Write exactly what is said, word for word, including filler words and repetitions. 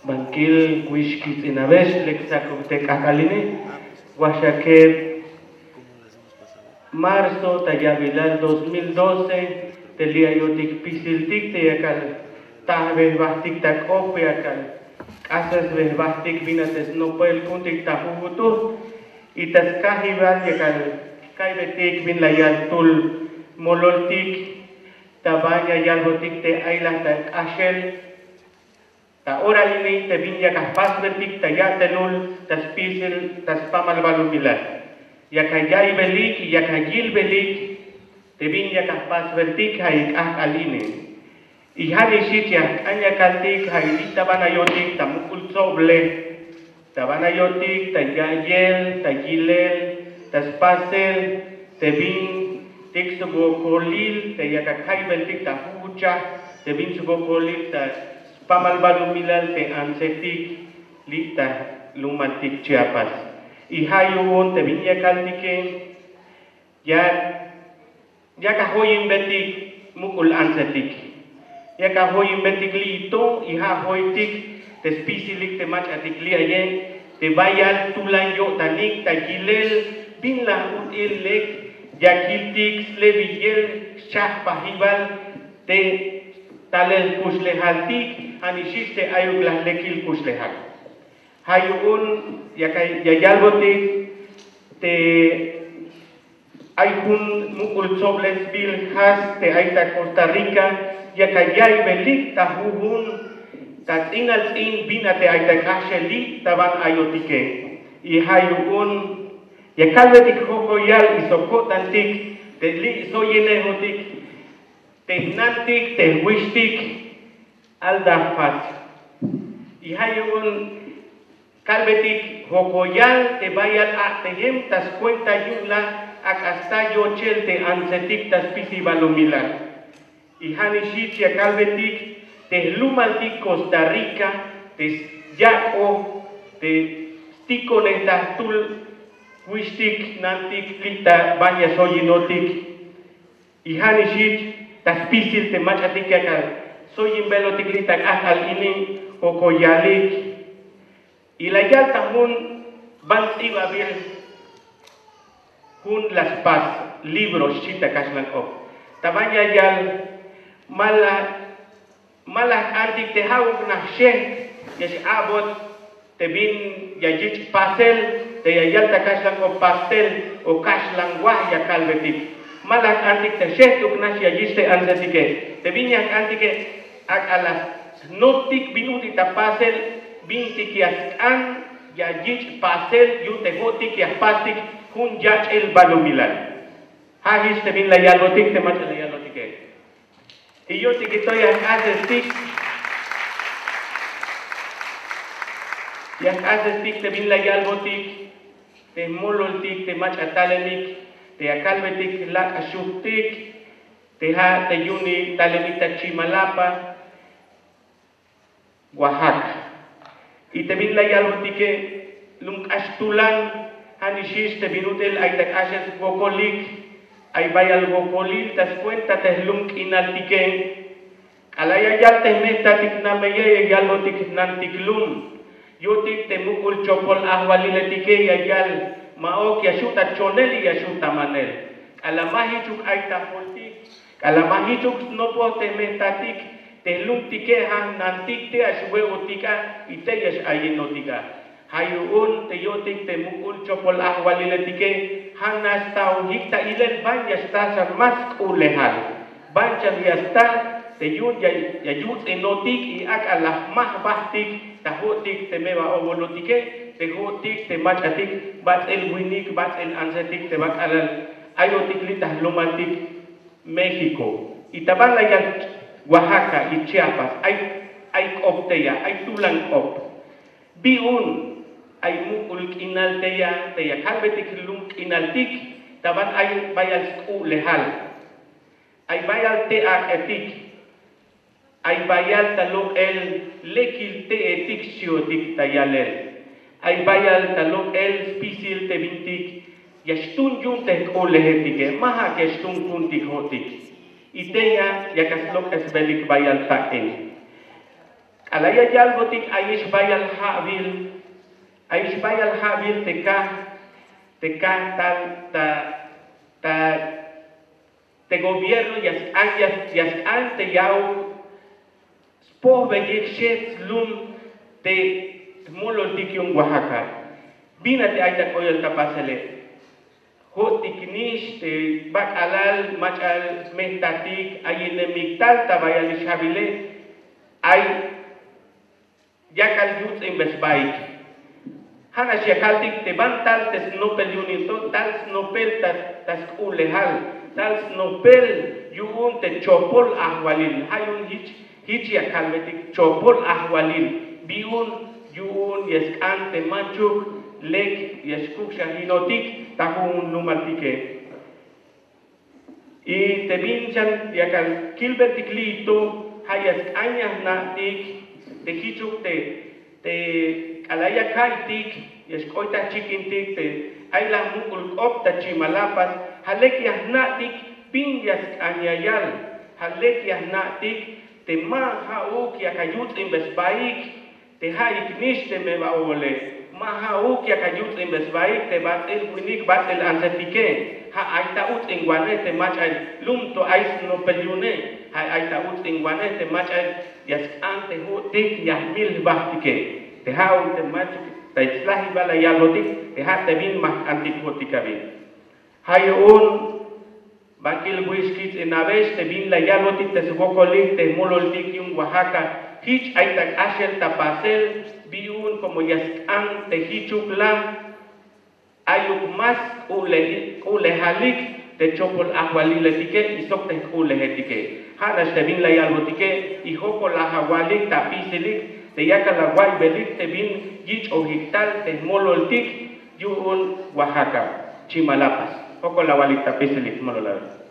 Bankil wix kitz'inabex lek sakub te k'ajk'al ini, waxakeb marzo ta ya'bilal dos mil doce, te li' ayotik pisiltik te yakal tajbej jbajtik ta k'op, yakal k'asesbej jbajtik bin a te snopel ku'untik ta jujut'ul, y ta skajibal yakal kaybeytik bin la yal jtul mololtik ta ban ya yalbotik te ay la ta k'axel. Ta ora ini te bin yak ajpasbeltik ta ya'telul ta spisil ta spamal balumilal, yak aya'iybelik, yak ayilbelik te bin yak ajpasbeltik ja' i k'ajk'al ini. Y ja' nix jich ya jk'an ya kaltik ja' i li' ta ban ayotik ta muk'ul tsoblej, ta ban ayotik ta ya'iyel, ta yilel, ta spasel te bin tik swokolil te yak akaybeltik ta jujuchaj, te bin swokolil ta spamal balumilal te antsetik li' ta jlumaltik Chiapas. Y ja' yu'un te bin ya kaltike, ya yak ajoyinbetik muk'ul antsetik, yak ajoyinbetik li' to, y ja' ajoytik te spisilik te mach'atik li' aye, te bayal tulan yo'tanik ta yilel bin la ut'il lek ya kiltik slebiyel schajpajibal te talel kuxlejaltik, ja' nix jich te ayuk la lekil kuxlejal. Ja' yu'un ya yalbotik te ay jun muk'ul tsoblesbil jas te ay ta Costa Rica, yak aya'iybelik ta jujun ta ts'inal ts'in bin a te ay ta k'axel li' ta ban ayotike. Y ja' yu'un ya kalbetik jokoyal y sok ko'tantik te li' soyinejotik te jnantik te jwixtik Alda Faz. Y ja' yu'un kalbetik jokoyal te bayal a'tejem ta skuenta yu'un la ak'a sta yochel te antsetik ta spisil balumilal. Y ja' nix jich ya kalbetik te jlumaltik Costa Rica te syak'oj te stikonej ta jtul jwixtik jnantik li' ta ban ya soyinotik. Y ja' nix jich ta spisil te mach'atik yak asoyinbelotik li' ta k'ajk'al ini jokoyalik. Y la yal ta jun ban ts'ibabil jun la spas libro xchi ta kaxlan k'op. Ta ban ya yal ma la ma la jk'antik te ja'uk nax xejk ya x-a'bot te bin ya yich' pasel, te ya yal ta kaxlan k'op pastel o kaxlan waj ya kalbetik. Ma la jk'antik te xejk'uk nax ya yich' te antsetike. Te bin ya jk'antike ak'a la snoptik bin ut'il ta pasel bintik ya sk'an ya yich' pasel yu'un te jo'tik ya jpastik jun yach'il balumilal. Ja' jich te bin la yalbotik te mach'a la yalbotike. Y yu'un tikito ya jk'asestik ya jk'asestik te bin la yalbotik te jmololtik te mach'a talemik te ya kalbetik lak' xujtik te ja' te yu'un talemik ta Chimalapa, Oaxaca. Y te bin la yalbotike lum k'ax tulan, ja' nix jich te bin ut'il ay ta k'axel wokolik, ay bayal wokolil ta skuenta te jlum k'inaltike. K'alal ya yal te jmejtatik nameye ya yalbotik jnantik lum, yu'untik te muk'ul chopol ajwaliletike ya yal ma'uk ya xu' ta chonel y ya xu' ta manel. K'alal ma jichuk ay ta joltik, k'alal ma jichuk snopoj te jmejtatik te jlumtike ja' jnantik te ya xwe'otik a y te ya x-ayinotik a. Ja' yu'un te yu'untik te muk'ul chopol ajwaliletike ja' nax staojik ta ilel ban ya xtal xan más sk'u'lejal. Ban xan ya stal te yu'un ya yuts'inotik y ak'a la jmaj jbajtik ta jo'tik te meba obolotike, te jo'tik te mach'atik, bats'il winik, bats'il antsetik te ba k'alal ayotik li' ta jlumaltik México. Y ta ban la yal Oaxaca y Chiapas ay, ay k'op tey a, ay tulan k'op. Bi yu'un ay muk'ul k'inal tey a te ya kalbetik jlum k'inaltik, ta ban ay bayal sk'u'lejal, ay bayal te ak'etik, ay bayal ta lok'el lekil te'etik xchi'otik ta yalel, ay bayal ta lok'el spisil te bintik ya xtun yu'un te jk'u'lejetike, ma ja' ya xtun ku'untik jo'tik. Y tey a yak aslok'esbelik bayal tak'in. K'alal ya yalbotik ayix bayal ja'bil, ayix bayal ja'bil te kaj, te kaj tal ta, ta te gobierno ya sk'an, ya sk'an te ya'uk spojbeyik xej slum te jmololtik yu'un Oaxaca. Bin a te ay ta k'oyol ta pasele. Jo'tik nix te bak'alal mach'a jmejtatik ayinemik tal ta bayalix ja'bile, ay yakal yuts'inbe sbaik. Ja' nax ya kaltik te banti tal te snopel yu'un to, tal snopel ta, ta sk'u'lejal, tal snopel yu'un te chopol ajwalil. Ja' yu'un jich, jich ya kalbetik chopol ajwalil. Bi yu'un, yu'un ya sk'an te manchuk lek ya xkukxajinotik ta jujun jlumaltike. Y te bin xan yakal kilbeltik li'i to, ja' ya sk'an ya jna'tik te jichuk te, te k'alal ya ka'iytik ya xk'oy ta jchikintik te ay la muk'ul k'op ta Chimalapa, ja' lek ya jna'tik bin ya sk'an ya yal, ja' lek ya jna'tik te ma ja'uk yakal yuts'inbe sbaik. Te ja'ik nix te me ba ole, ma ja'uk yakal yuts'inbe sbaik te bats'il winik, bats'il antsetike. Ja' ay ta uts'inwanej te mach'a lum to ay snopel yu'une. Ja' ay ta uts'inwanej te mach'a ya sk'an te jo'tik ya jmil jbajtike. Te ja'uk te mach'a ta slajibal la yalbotik, te ja' te bin ma jk'antik jo'tik a bin. Ja' yu'un bankelbuix, kits'inabex te bin la yalbotik te swokolik te jmololtik yu'un Oaxaca. Jich ay ta k'axel ta pasel, bi yu'un como ya sk'an te jichuk la ayuk más k'u'lejalik te chopol ajwaliletike y sok te jk'u'lejetike. Ja' nax te bin la yalbotike, y jokol la awalik ta apisilik te yakal awa'iybelik te bin yich'ojik tal te jmololtik yu'un Oaxaca, Chimalapa. Jokol awalik ta apisilik, jmolol awa'iybelik.